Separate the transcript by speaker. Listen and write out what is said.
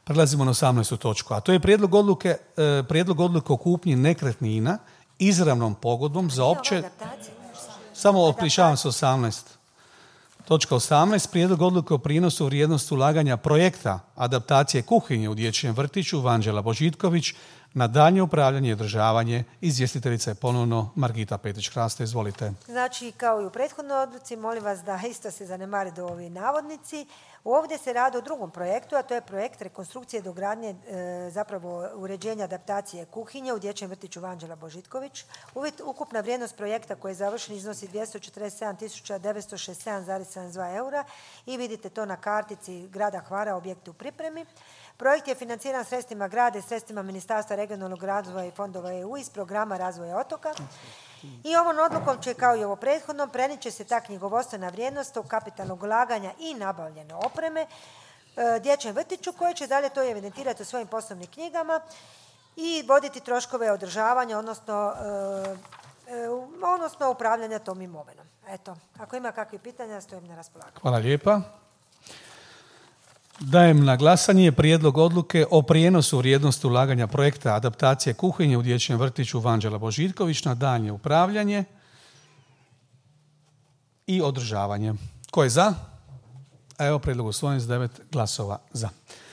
Speaker 1: Prelazimo na 18. točku, a to je prijedlog odluke o kupnji nekretnina izravnom pogodbom za opće... Samo opričavam se 18. Točka 18. Prijedlog odluke o prinosu vrijednosti ulaganja projekta adaptacije kuhinje u dječjem vrtiću Vanđela Božitković na daljnje upravljanje i održavanje. Izvjestiteljica je ponovno Margita Petrić-Hraste. Izvolite.
Speaker 2: Znači, kao i u prethodnoj odluci, molim vas da isto se zanemare do ovi navodnici. Ovdje se radi o drugom projektu, a to je projekt rekonstrukcije dogradnje, zapravo uređenja adaptacije kuhinje u dječjem vrtiću Vanđela Božitković. Ukupna vrijednost projekta koji je završen iznosi 247.967,72 eura i vidite to na kartici grada Hvara, objekti u pripremi. Projekt je financiran sredstvima grada i sredstvima Ministarstva regionalnog razvoja i fondova EU iz programa razvoja otoka. I ovom odlukom će, kao i ovo prethodnom, prenijet će se ta knjigovodstvena vrijednost od kapitalnog ulaganja i nabavljene opreme dječjem vrtiću koje će dalje to evidentirati u svojim poslovnim knjigama i voditi troškove održavanja, odnosno upravljanja tom imovinom. Eto, ako ima kakvih pitanja, stojim na raspolaganju.
Speaker 1: Hvala lijepa. Dajem na glasanje prijedlog odluke o prijenosu vrijednosti ulaganja projekta adaptacije kuhinje u dječjem vrtiću Vanđela Božitković na daljnje upravljanje i održavanje. Ko je za? Evo, prijedlog usvojen s 9 glasova za.